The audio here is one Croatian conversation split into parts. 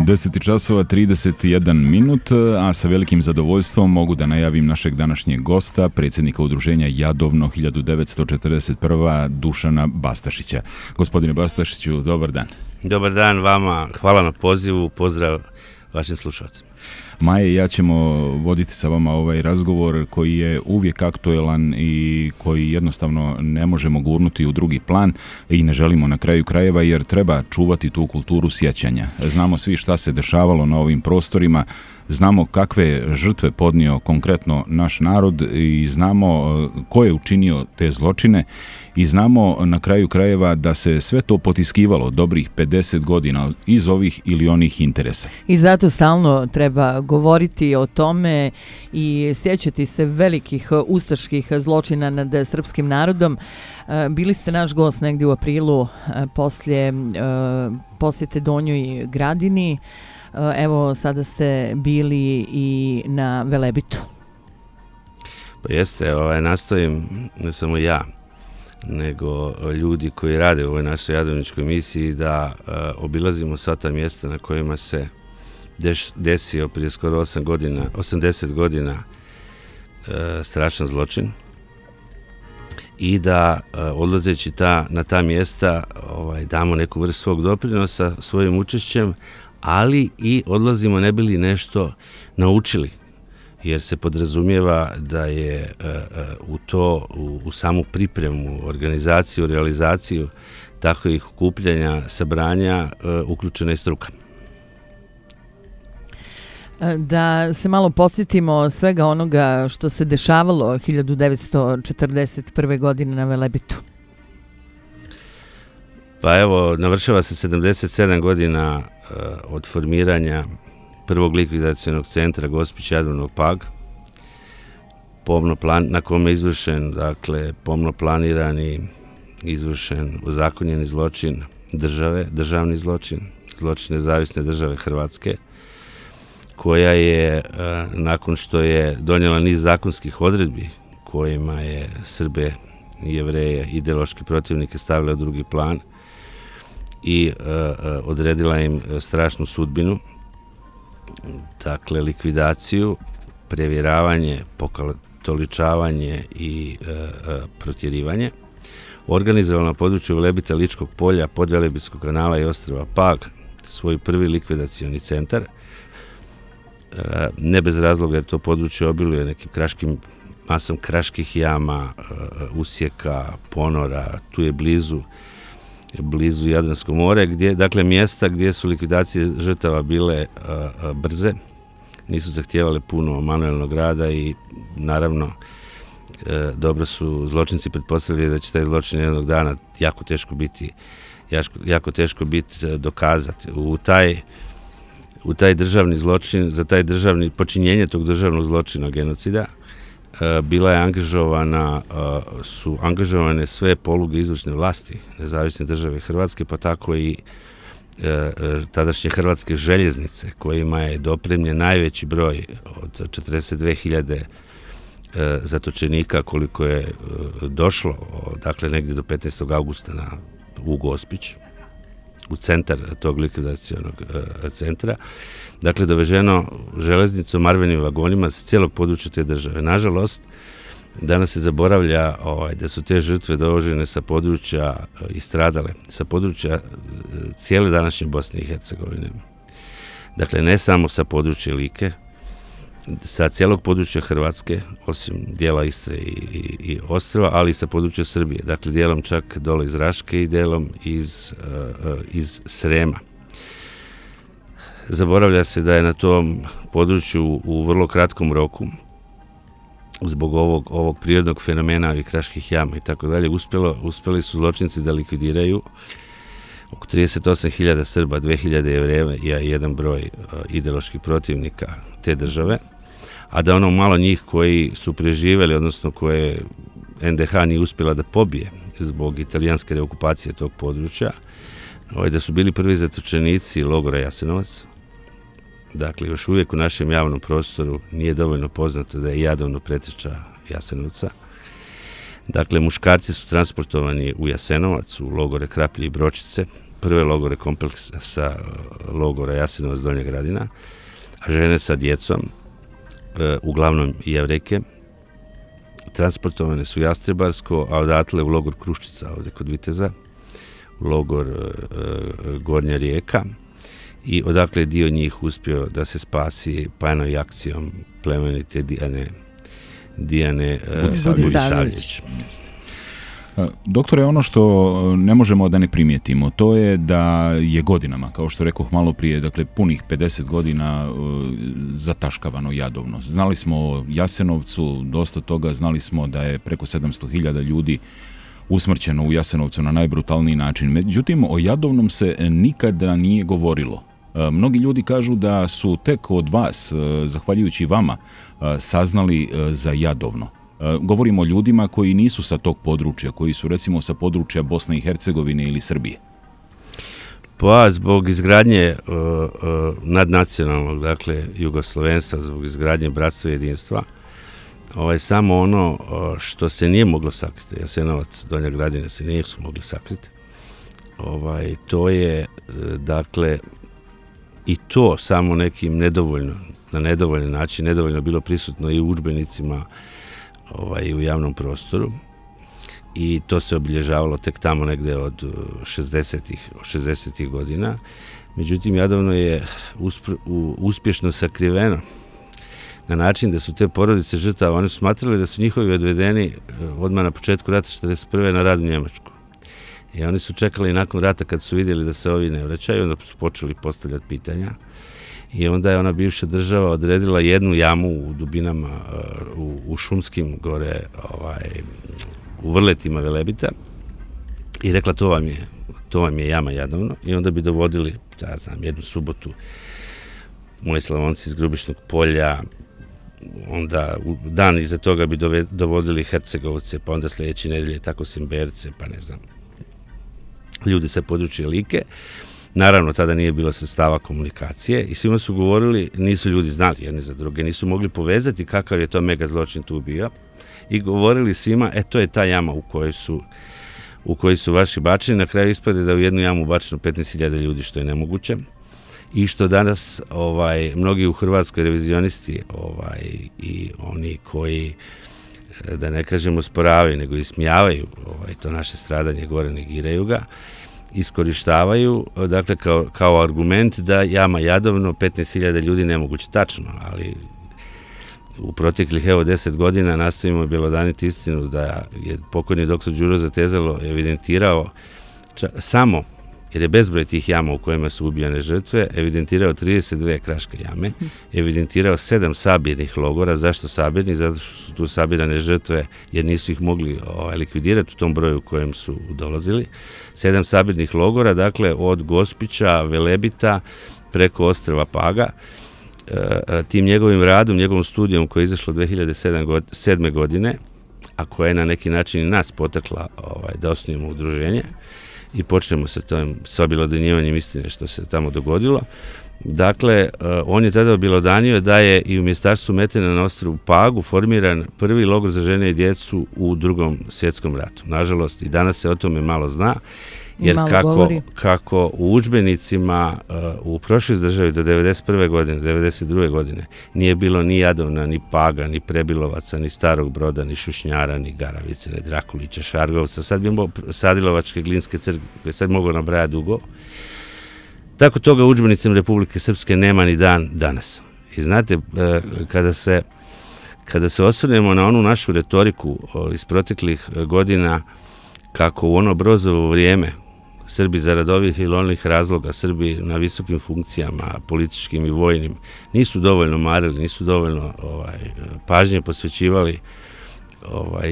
10 časova 31 minut, a sa velikim zadovoljstvom mogu da najavim našeg današnjeg gosta, predsjednika udruženja Jadovno 1941. Dušana Bastašića. Gospodine Bastašiću, dobar dan. Dobar dan vama, hvala na pozivu, pozdrav vašim slušalcima. Maja i ja ćemo voditi sa vama ovaj razgovor koji je uvijek aktuelan i koji jednostavno ne možemo gurnuti u drugi plan i ne želimo na kraju krajeva jer treba čuvati tu kulturu sjećanja. Znamo svi šta se dešavalo na ovim prostorima, znamo kakve žrtve podnio konkretno naš narod i znamo ko je učinio te zločine i znamo na kraju krajeva da se sve to potiskivalo dobrih 50 godina iz ovih ili onih interesa. I zato stalno treba govoriti o tome i sjećati se velikih ustaških zločina nad srpskim narodom. Bili ste naš gost negdje u aprilu poslije posjete Donjoj Gradini. Evo, sada ste bili i na Velebitu. Pa jeste, nastojim, ne samo ja, nego ljudi koji rade u ovoj našoj jadovničkoj misiji da obilazimo sva ta mjesta na kojima se desio prije skoro 80 godina strašan zločin i da odlazeći na ta mjesta damo neku vrstu svog doprinosa svojim učešćem, ali i odlazimo ne bi li nešto naučili, jer se podrazumijeva da je u samu pripremu, organizaciju, realizaciju takvih okupljanja, sabranja uključena i struka. Da se malo podsjetimo svega onoga što se dešavalo 1941. godine na Velebitu. Pa evo, navršava se 77 godina od formiranja prvog likvidacionog centra Gospić Jadovno Pag, na kome je izvršen, dakle, pomno planirani, izvršen ozakonjeni zločin države, državni zločin nezavisne države Hrvatske, koja je, nakon što je donijela niz zakonskih odredbi kojima je Srbe i Jevreje, ideološke protivnike, stavila u drugi plan i odredila im strašnu sudbinu, dakle likvidaciju, prevjeravanje, pokatoličavanje i protjerivanje, organizovala na području Velebita, Ličkog polja, Podvelebitskog kanala i ostrva Pag svoj prvi likvidacioni centar. Ne bez razloga jer to područje obiluje nekim masom kraških jama, usjeka, ponora, tu je blizu Jadransko more, dakle mjesta gdje su likvidacije žrtava bile brze, nisu zahtijevale puno manuelnog rada i naravno dobro su zločinci pretpostavljali da će taj zločin jednog dana jako teško biti dokazati. U taj državni zločin, za taj počinjenje tog državnog zločina genocida su angažovane sve poluge izvršne vlasti nezavisne države Hrvatske, pa tako i tadašnje Hrvatske željeznice, kojima je dopremljen najveći broj od 42.000 zatočenika koliko je došlo, dakle negdje do 15. augusta u Gospić, u centar tog likvidacionog centra, dakle doveženo železnicom, marvenim vagonima sa cijelog područja te države. Nažalost, danas se zaboravlja da su te žrtve dovožene sa područja i stradale, sa područja cijele današnje Bosne i Hercegovine. Dakle, ne samo sa područja Like, sa cijelog područja Hrvatske, osim dijela Istre i ostrva, ali i sa područja Srbije. Dakle, dijelom čak dole iz Raške i dijelom iz Srema. Zaboravlja se da je na tom području u vrlo kratkom roku, zbog ovog prirodnog fenomena ovih kraških jama i tako dalje, uspjeli su zločinci da likvidiraju oko 38.000 Srba, 2.000 Jevreja i jedan broj ideoloških protivnika te države, a da ono malo njih koji su preživjeli, odnosno koje NDH nije uspjela da pobije zbog italijanske reokupacije tog područja, da su bili prvi zatočenici logora Jasenovac. Dakle, još uvijek u našem javnom prostoru nije dovoljno poznato da je Jadovno preteča Jasenovca. Dakle, muškarci su transportovani u Jasenovac, u logore Kraplje i Bročice, prve logore kompleksa logora Jasenovac Donja Gradina, a žene sa djecom, uglavnom Jevrejke, transportovane su u Jastrebarsko, a odatle u logor Kruščica, ovdje kod Viteza, u logor Gornja Rijeka, i odakle je dio njih uspio da se spasi pajnom i akcijom plemenite Dijane Budisavljević. Doktore, ono što ne možemo da ne primijetimo, to je da je godinama, kao što rekoh malo prije, dakle punih 50 godina zataškavano Jadovno. Znali smo o Jasenovcu dosta toga, znali smo da je preko 700.000 ljudi usmrćeno u Jasenovcu na najbrutalniji način. Međutim, o Jadovnom se nikada nije govorilo. Mnogi ljudi kažu da su tek od vas, zahvaljujući vama, saznali za Jadovno. Govorimo o ljudima koji nisu sa tog područja, koji su recimo sa područja Bosne i Hercegovine ili Srbije. Pa zbog izgradnje nadnacionalnog, dakle jugoslovenstva, zbog izgradnje bratstva i jedinstva, samo ono što se nije moglo sakriti, Jasenovac, Donja Gradina se nisu mogli sakriti, to je, dakle, i to samo nekim na nedovoljan način, nedovoljno bilo prisutno i u udžbenicima i u javnom prostoru, i to se obilježavalo tek tamo negde od 60. godina. Međutim, Jadovno je uspješno sakriveno na način da su te porodice žrtava, oni su smatrali da su njihovi odvedeni odmah na početku rata 1941. na rad u Njemačku. I oni su čekali nakon rata, kad su vidjeli da se ovi ne vraćaju, onda su počeli postavljati pitanja. I onda je ona bivša država odredila jednu jamu u dubinama, u šumskim gore, u vrletima Velebita, i rekla to vam je jama Jadovno, i onda bi dovodili, jednu subotu moji Slavonci iz Grubišnog polja, onda dan iza toga bi dovodili Hercegovce, pa onda sljedeće nedelje tako Simberce, pa ne znam, ljudi sa područja Like. Naravno, tada nije bilo sredstava komunikacije i svima su govorili, nisu ljudi znali jedni za druge, nisu mogli povezati kakav je to mega zločin tu bio, i govorili svima, to je ta jama u kojoj su vaši bačeni. Na kraju ispade da u jednu jamu bačeno 15.000 ljudi, što je nemoguće, i što danas mnogi u Hrvatskoj revizionisti i oni koji, da ne kažemo sporavaju, nego ismijavaju to naše stradanje, gore negiraju ga, iskorištavaju, dakle, kao argument da jama Jadovno 15.000 ljudi nemoguće. Tačno, ali u proteklih 10 godina nastojimo bjelodaniti istinu da je pokojni doktor Đuro Zatezalo evidentirao samo, jer je bezbroj tih jama u kojima su ubijane žrtve, evidentirao 32 kraške jame, evidentirao 7 sabirnih logora. Zašto sabirni? Zato što su tu sabirane žrtve, jer nisu ih mogli likvidirati u tom broju u kojem su dolazili. 7 sabirnih logora, dakle, od Gospića, Velebita, preko ostrva Paga. Tim njegovim radom, njegovom studijom koja je izašla 2007. godine, a koja je na neki način i nas potakla da osnujemo udruženje i počnemo sa objelodanjivanjem istine što se tamo dogodilo. Dakle, on je tada objelodanio da je i u mjestarstvu Metena na ostrvu Pagu formiran prvi logor za žene i djecu u Drugom svjetskom ratu. Nažalost, i danas se o tome malo zna, jer kako u udžbenicima u prošloj državi do 1991. godine, 1992. godine nije bilo ni Jadovna, ni Paga, ni Prebilovaca, ni Starog Broda, ni Šušnjara, ni Garavice, ni Drakulića, Šargovca, sad bi Sadilovačke, Glinske crkve, sad mogu nabrajati dugo. Tako toga u udžbenicima Republike Srpske nema ni dan danas. I znate, kada se osvrnemo na onu našu retoriku iz proteklih godina, kako u ono Brozovo vrijeme Srbi zarad ovih ili onih razloga, Srbi na visokim funkcijama, političkim i vojnim, nisu dovoljno marili, nisu dovoljno pažnje posvećivali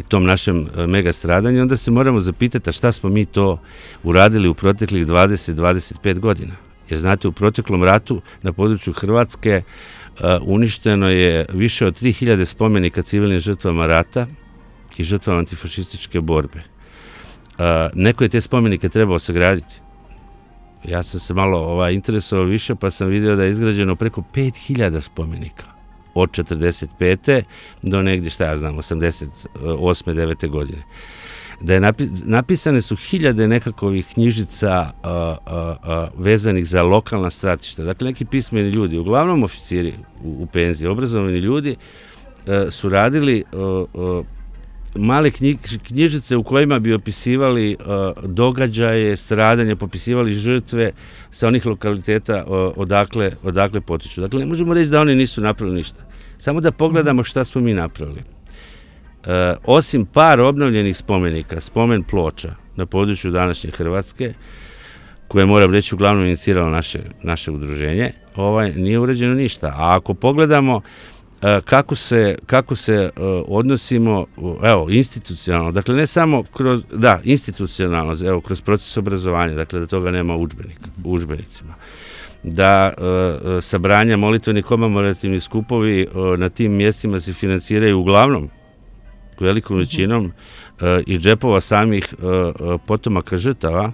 tom našem mega stradanju, onda se moramo zapitati šta smo mi to uradili u proteklih 20-25 godina. Jer znate, u proteklom ratu na području Hrvatske uništeno je više od 3000 spomenika civilnim žrtvama rata i žrtvama antifašističke borbe. Neko je te spomenike trebao sagraditi. Ja sam se malo interesovao više, pa sam vidio da je izgrađeno preko 5000 spomenika od 45. do negdje, 88. 9. godine. da je napisane su hiljade nekakvih knjižica vezanih za lokalna stratišta. Dakle, neki pismeni ljudi, uglavnom oficiri u penziji, obrazovani ljudi, su radili male knjižice u kojima bi opisivali događaje, stradanje, popisivali žrtve sa onih lokaliteta odakle potiču. Dakle, ne možemo reći da oni nisu napravili ništa. Samo da pogledamo šta smo mi napravili. Osim par obnovljenih spomenika, spomen ploča na području današnje Hrvatske, koje moram reći uglavnom iniciralo naše udruženje, nije uređeno ništa. A ako pogledamo kako se odnosimo, evo, institucionalno, dakle ne samo institucionalno, evo, kroz proces obrazovanja, dakle da toga nema u udžbenicima, da sabranja, molitveni, komemorativni skupovi na tim mjestima se financiraju uglavnom velikom većinom iz džepova samih potomaka žrtava,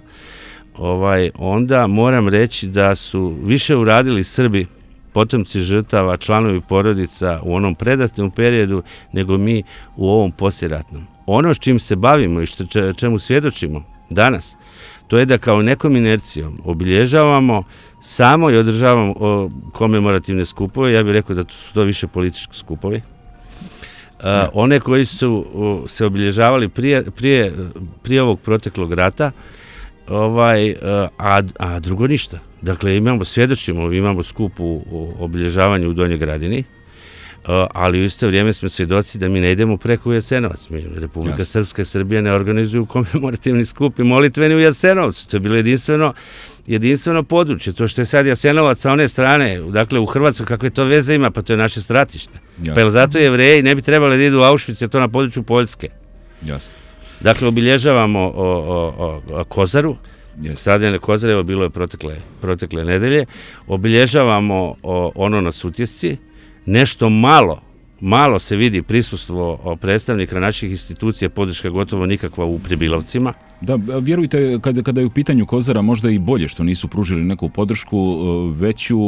onda moram reći da su više uradili Srbi, potomci žrtava, članovi porodica u onom predatnom periodu nego mi u ovom poslijeratnom. Ono s čim se bavimo i čemu svjedočimo danas, to je da kao nekom inercijom obilježavamo samo i održavamo komemorativne skupove. Ja bih rekao da su to više politički skupovi. One koji su se obilježavali prije ovog proteklog rata, a drugo ništa. Dakle, imamo skup u obilježavanju u Donjoj Gradini, ali u isto vrijeme smo svjedoci da mi ne idemo preko u Jasenovac. Republika Srpska i Srbija ne organizuju komemorativni skup i molitveni u Jasenovcu. To je bilo jedinstveno područje. To što je sad Jasenovac sa one strane, dakle u Hrvatskoj, kakve to veze ima, pa to je naše stratište. Pa jel zato Jevreji ne bi trebali da idu u Auschwitz, jer to na području Poljske. Jasno. Dakle, obilježavamo Kozaru, stradanje Kozare, bilo je protekle nedelje, obilježavamo ono na Sutjesci, nešto malo se vidi prisustvo predstavnika naših institucija, podrška gotovo nikakva u Pribilovcima. Da, vjerujte, kada je u pitanju Kozara, možda i bolje što nisu pružili neku podršku veću,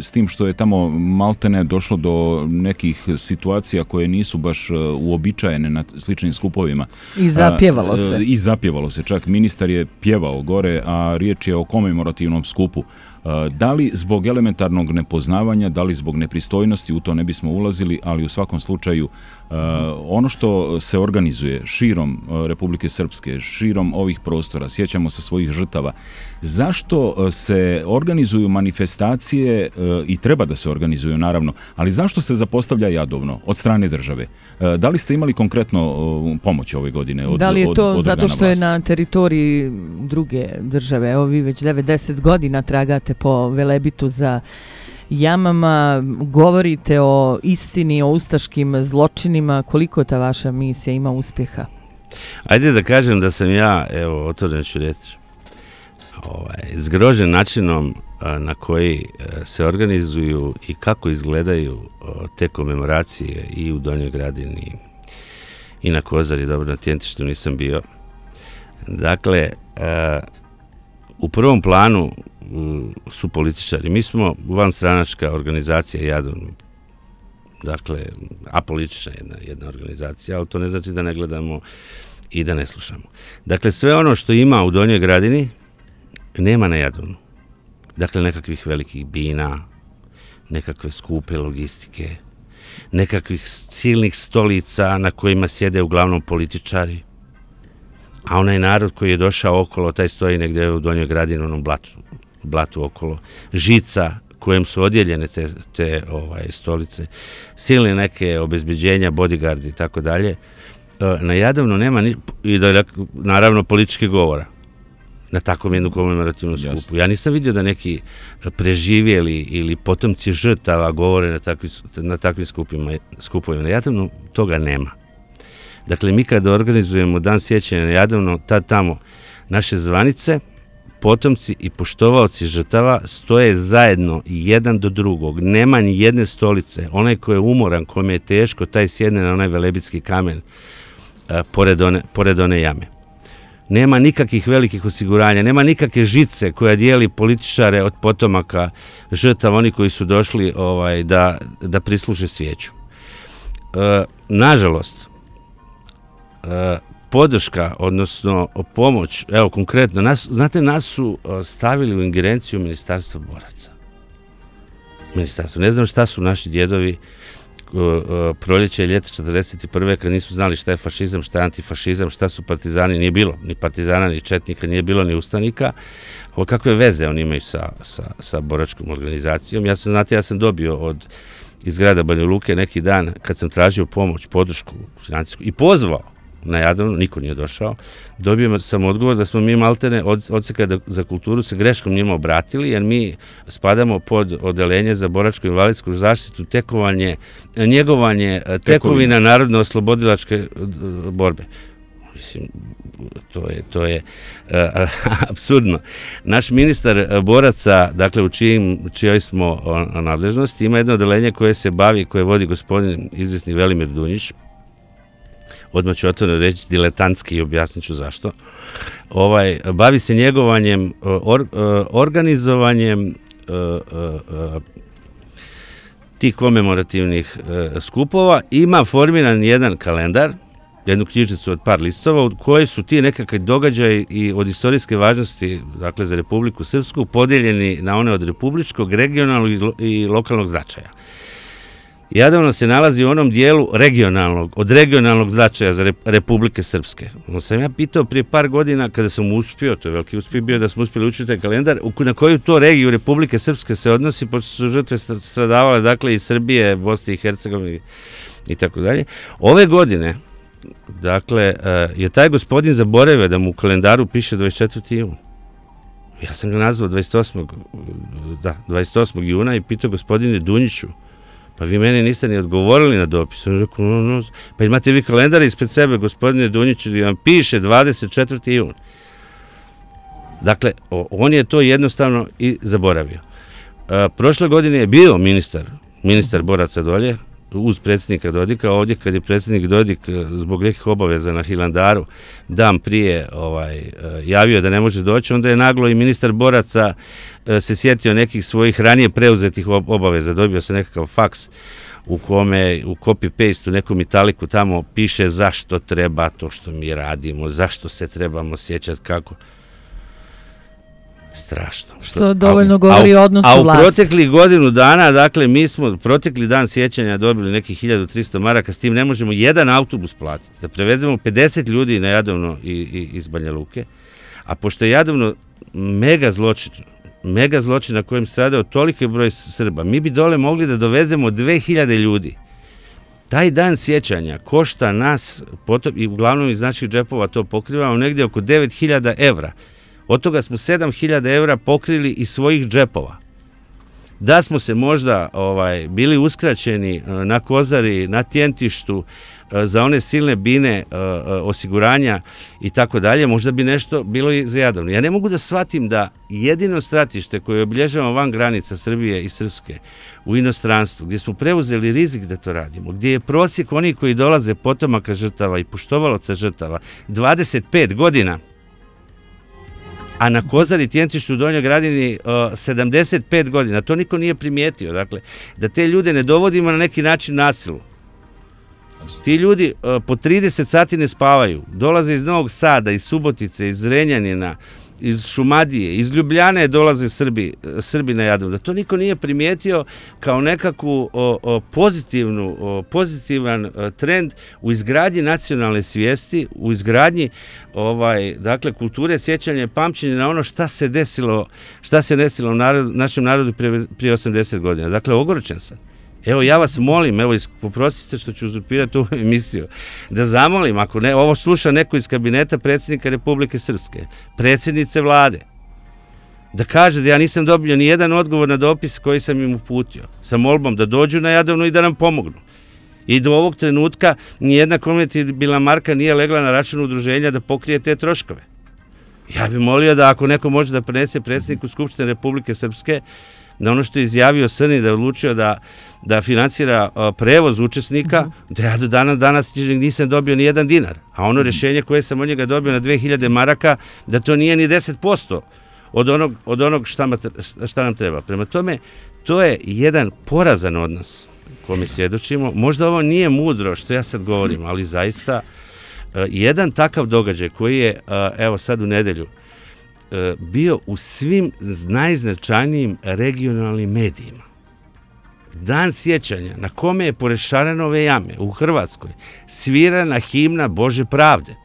s tim što je tamo maltene došlo do nekih situacija koje nisu baš uobičajene na sličnim skupovima. I zapjevalo se. I zapjevalo se, čak ministar je pjevao gore, a riječ je o komemorativnom skupu. Da li zbog elementarnog nepoznavanja, da li zbog nepristojnosti, u to ne bismo ulazili, ali u svakom slučaju ono što se organizuje širom Republike Srpske, širom ovih prostora, sjećamo se svojih žrtava, zašto se organizuju manifestacije i treba da se organizuju naravno, ali zašto se zapostavlja Jadovno od strane države? Da li ste imali konkretno pomoć ove godine od Da li je to od zato što je na teritoriji druge države? Evo vi već 90 godina tragate po Velebitu za jamama, govorite o istini, o ustaškim zločinima. Koliko ta vaša misija ima uspjeha? Ajde da kažem da sam ja, evo, otvoren ću reći, zgrožen načinom na koji se organizuju i kako izgledaju te komemoracije i u Donjoj Gradini i na Kozari, dobro, na Tjentištu nisam bio. Dakle, u prvom planu su političari. Mi smo vanstranačka organizacija Jadovno, dakle, apolitična jedna organizacija, ali to ne znači da ne gledamo i da ne slušamo. Dakle, sve ono što ima u Donjoj Gradini nema na Jadovnu. Dakle, nekakvih velikih bina, nekakve skupe logistike, nekakvih silnih stolica na kojima sjede uglavnom političari, a onaj narod koji je došao okolo, taj stoji negdje u Donjoj Gradini, onom blatu okolo, žica kojem su odjeljene te stolice, silne neke obezbeđenja, bodyguardi i tako dalje. Na Jadovnu nema naravno političke govora na takvom jednu komemorativnom skupu. Ja nisam vidio da neki preživjeli ili potomci žrtava govore na takvim skupovima. Na Jadovnu toga nema. Dakle, mi kada organizujemo dan sjećanja na Jadovno, tamo naše zvanice, potomci i poštovaoci žrtava stoje zajedno jedan do drugog. Nema ni jedne stolice. Onaj ko je umoran, kome je teško, taj sjedne na onaj velebitski kamen pored one jame. Nema nikakvih velikih osiguranja, nema nikakve žice koja dijeli političare od potomaka žrtava, oni koji su došli da prisluže svijeću. Nažalost, podrška, odnosno pomoć, evo konkretno, nas su stavili u ingerenciju Ministarstva boraca. Ne znam šta su naši djedovi proljeće i ljeta 41. kad nisu znali šta je fašizam, šta je antifašizam, šta su partizani, nije bilo ni partizana, ni četnika, nije bilo ni ustanika. Kakve veze oni imaju sa boračkom organizacijom? Ja sam dobio iz grada Banja Luke neki dan kad sam tražio pomoć, podršku financijsku i pozvao na Jadovno, niko nije došao, dobio sam odgovor da smo mi maltene odseka za kulturu se greškom njima obratili, jer mi spadamo pod odeljenje za boračko-invalidsku zaštitu, njegovanje tekovina narodno-oslobodilačke borbe. Mislim, to je apsurdno. Naš ministar boraca, dakle u čijoj smo nadležnosti, ima jedno odeljenje koje se bavi, koje vodi gospodin izvisni Velimir Dunjić, odmah ću otvoreno reći diletantski i objasnit ću zašto. Bavi se njegovanjem, organizovanjem tih komemorativnih skupova, ima formiran jedan kalendar, jednu knjižicu od par listova, u kojoj su ti nekakvi događaji i od istorijske važnosti, dakle za Republiku Srpsku, podijeljeni na one od republičkog, regionalnog i lokalnog značaja. Jadovno se nalazi u onom dijelu od regionalnog značaja za Republike Srpske. Sam ja pitao prije par godina kada sam uspio, to je veliki uspjeh bio da smo uspjeli učiti taj kalendar, na koju to regiju Republike Srpske se odnosi, pošto su žrtve stradavale, dakle, iz Srbije, Bosne i Hercegovine i tako dalje. Ove godine, dakle, je taj gospodin zaboravio da mu u kalendaru piše 24. jun. Ja sam ga nazvao 28. juna i pitao gospodine Dunjiću, pa vi meni niste ni odgovorili na dopis. On rekao, pa imate vi kalendar ispred sebe, gospodine Dunjiću, gdje vam piše 24. jun. Dakle, on je to jednostavno i zaboravio. Prošle godine je bio ministar boraca dolje, uz predsjednika Dodika, ovdje kad je predsjednik Dodik zbog nekih obaveza na Hilandaru dan prije javio da ne može doći, onda je naglo i ministar boraca se sjetio nekih svojih ranije preuzetih obaveza. Dobio se nekakav faks u kome u copy-paste u nekom italiku tamo piše zašto treba to što mi radimo, zašto se trebamo sjećati kako. Strašno. Što dovoljno govori o odnosu vlasti. A u proteklih godinu dana, dakle, mi smo protekli dan sjećanja dobili nekih 1300 maraka, s tim ne možemo jedan autobus platiti, da prevezemo 50 ljudi na Jadovno i iz Banja Luke, a pošto je Jadovno mega zločin na kojem stradao toliki broj Srba, mi bi dole mogli da dovezemo 2000 ljudi. Taj dan sjećanja košta nas, i uglavnom iz naših džepova to pokrivamo, negdje oko 9000 evra. Od toga smo 7000 evra pokrili iz svojih džepova. Da smo se možda bili uskraćeni na Kozari, na Tjentištu, za one silne bine osiguranja i tako dalje, možda bi nešto bilo i za Jadovno. Ja ne mogu da shvatim da jedino stratište koje obilježavamo van granica Srbije i Srpske u inostranstvu, gdje smo preuzeli rizik da to radimo, gdje je prosjek onih koji dolaze potomaka žrtava i poštovalaca žrtava 25 godina, a na Kozari, Tjentištu, u Donjoj Gradini 75 godina. To niko nije primijetio. Dakle, da te ljude ne dovodimo na neki način nasilu. Ti ljudi po 30 sati ne spavaju. Dolaze iz Novog Sada, iz Subotice, iz Zrenjanina, iz Šumadije, iz Ljubljane dolaze Srbi na Jadovno. Da to niko nije primijetio kao nekakvu pozitivan trend u izgradnji nacionalne svijesti, u izgradnji dakle, kulture sjećanja i pamćenja na ono šta se desilo našem narodu prije 80 godina. Dakle, ogorčen sam. Evo, ja vas molim, poprostite što ću uzurpirati ovu emisiju, da zamolim, ako ne, ovo sluša neko iz kabineta predsjednika Republike Srpske, predsjednice vlade, da kaže da ja nisam dobio ni jedan odgovor na dopis koji sam im uputio, sa molbom da dođu na Jadovno i da nam pomognu. I do ovog trenutka nijedna konvertibilna marka nije legla na račun udruženja da pokrije te troškove. Ja bih molio da ako neko može da prenese predsjedniku Skupštine Republike Srpske, na ono što je izjavio Srni, da je odlučio da financira prevoz učesnika, da ja do danas nisam dobio ni jedan dinar. A ono rješenje koje sam od njega dobio na 2000 maraka, da to nije ni 10% od onog šta nam treba. Prema tome, to je jedan porazan odnos kome svjedočimo. Možda ovo nije mudro što ja sad govorim, ali zaista jedan takav događaj koji je, evo sad u nedjelju, bio u svim najznačajnijim regionalnim medijima. Dan sjećanja na kome je pored Šarenove jame u Hrvatskoj svirana himna Bože pravde,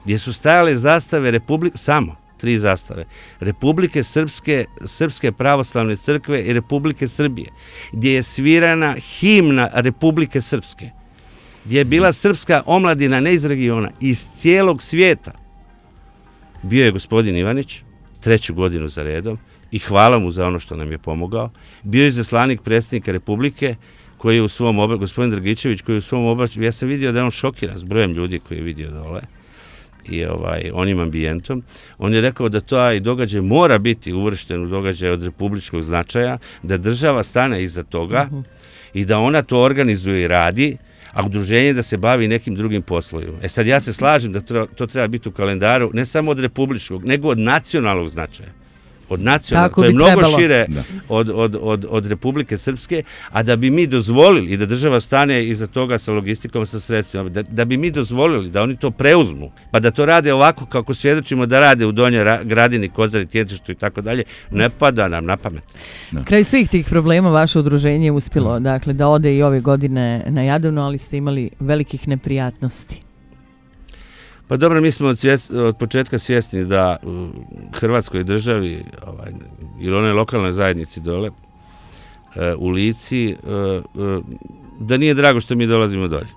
gdje su stajale zastave samo 3 zastave, Republike Srpske, Srpske pravoslavne crkve i Republike Srbije, gdje je svirana himna Republike Srpske, gdje je bila srpska omladina ne iz regiona, iz cijelog svijeta. Bio je gospodin Ivanić, 3. godinu za redom, i hvala mu za ono što nam je pomogao. Bio je izaslanik predsjednika Republike, koji je u svom gospodin Dragičević, koji je u svom obraćanju, ja sam vidio da je on šokiran s brojem ljudi koji je vidio dole i onim ambijentom. On je rekao da taj događaj mora biti uvršten u događaj od republičkog značaja, da država stane iza toga i da ona to organizuje i radi, a udruženje da se bavi nekim drugim poslovima. Sad ja se slažem da to treba biti u kalendaru ne samo od republičkog, nego od nacionalnog značaja. Od nacionalnog, to je mnogo šire od Republike Srpske, a da bi mi dozvolili i da država stane iza toga sa logistikom, sa sredstvima, da bi mi dozvolili da oni to preuzmu, pa da to rade ovako kako svjedočimo da rade u Donjoj Gradini, Kozari, Tjetištu i tako dalje, ne pada nam na pamet. Kraj svih tih problema vaše udruženje je uspjelo, dakle, da ode i ove godine na Jadovno, ali ste imali velikih neprijatnosti. Pa dobro, mi smo od početka svjesni da u Hrvatskoj državi ili onoj lokalnoj zajednici dole u Lici, da nije drago što mi dolazimo dolje.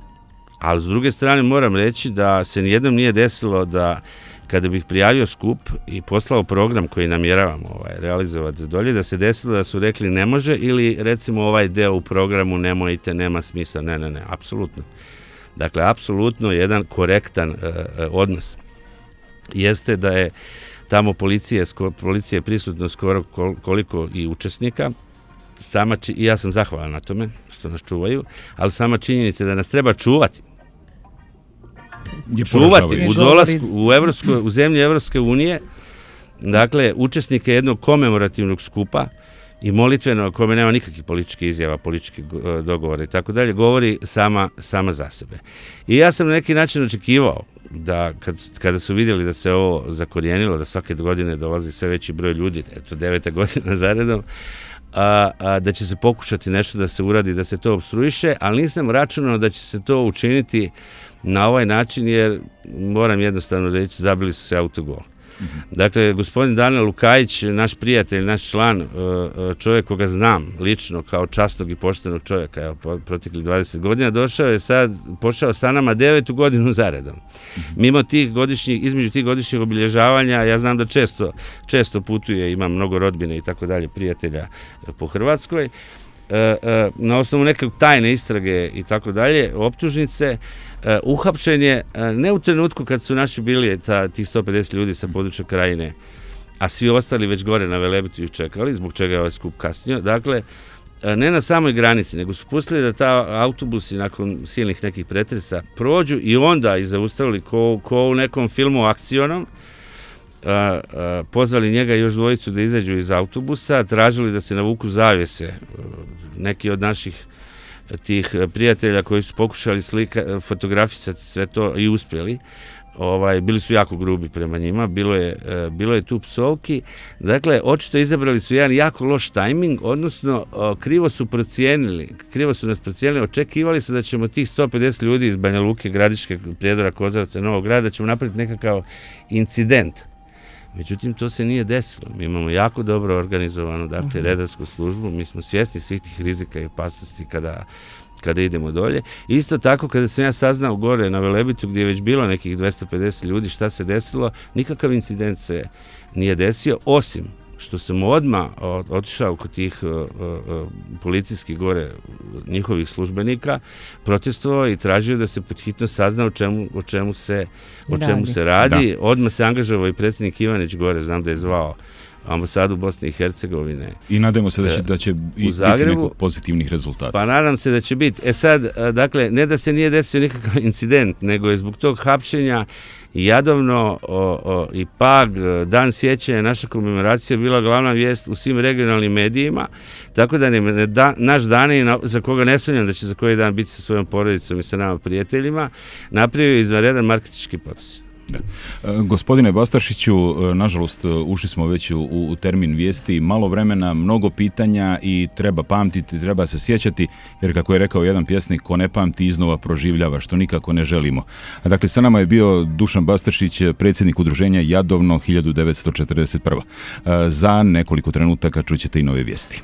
Ali s druge strane moram reći da se nijednom nije desilo da kada bih prijavio skup i poslao program koji namjeravamo realizovati dolje, da se desilo da su rekli ne može ili recimo ovaj deo u programu nemojte, nema smisla. Ne, apsolutno. Dakle, apsolutno jedan korektan odnos. Jeste da je tamo policija prisutno skoro koliko i učesnika. I ja sam zahvalan na tome što nas čuvaju, ali sama činjenica da nas treba čuvati. U dolasku u zemlji Evropske unije, dakle, učesnike jednog komemorativnog skupa i molitveno, kome nema nikakvih političkih izjava, političkih dogovora i tako dalje, govori sama za sebe. I ja sam na neki način očekivao da kada su vidjeli da se ovo zakorijenilo, da svake godine dolazi sve veći broj ljudi, eto 9. godina zaredom, da će se pokušati nešto da se uradi, da se to opstruiše, ali nisam računao da će se to učiniti na ovaj način, jer moram jednostavno reći, zabili su se autogol. Dakle, gospodin Danijel Lukajić, naš prijatelj, naš član, čovjek koga znam lično kao časnog i poštenog čovjeka, proteklih 20 godina, počeo sa nama 9. godinu zaredom. Mimo između tih godišnjih obilježavanja, ja znam da često putuje, ima mnogo rodbine i tako dalje, prijatelja po Hrvatskoj, na osnovu neke tajne istrage i tako dalje, optužnice, uhapšen je ne u trenutku kad su naši bili tih 150 ljudi sa područja Krajine, a svi ostali već gore na Velebitu čekali, zbog čega je ovaj skup kasnio. Dakle, ne na samoj granici, nego su pustili da ta autobusi nakon silnih nekih pretresa prođu i onda i zaustavili ko u nekom filmu akcionom, pozvali njega i još dvojicu da izađu iz autobusa, tražili da se navuku zavjese. Neki od naših tih prijatelja koji su pokušali fotografisati sve to i uspjeli, bili su jako grubi prema njima, bilo je tu psovki. Dakle, očito izabrali su jedan jako loš tajming, odnosno krivo su nas procijenili, očekivali su da ćemo tih 150 ljudi iz Banja Luke, Gradiške, Prijedora, Kozarca, Novog Grada, da ćemo napraviti nekakav incident. Međutim, to se nije desilo. Mi imamo jako dobro organizovanu, dakle, redarsku službu, mi smo svjesni svih tih rizika i opasnosti kada idemo dolje. Isto tako, kada sam ja saznao gore na Velebitu, gdje je već bilo nekih 250 ljudi, šta se desilo, nikakav incident se nije desio, osim što sam odmah otišao kod tih policijskih gore njihovih službenika, protestovao i tražio da se podhitno sazna o čemu se radi. Odmah se angažovao i predsjednik Ivanić gore, znam da je zvao ambasadu Bosne i Hercegovine. I nadamo se da će biti nekog pozitivnih rezultata. Pa nadam se da će biti. Sad, dakle, ne da se nije desio nikakav incident, nego je zbog tog hapšenja Jadovno i Pag, dan sjećanja, naša komemoracija bila glavna vijest u svim regionalnim medijima, tako da naš Dane, za koga ne sumnjam da će za koji dan biti sa svojom porodicom i sa nama prijateljima, napravio izvanredan marketinški potez. Da. Gospodine Bastaršiću, nažalost ušli smo već u termin vijesti, malo vremena, mnogo pitanja i treba pamtiti, treba se sjećati, jer kako je rekao jedan pjesnik, ko ne pamti iznova proživljava, što nikako ne želimo. Dakle, sa nama je bio Dušan Bastaršić, predsjednik udruženja Jadovno 1941. Za nekoliko trenutaka čućete i nove vijesti.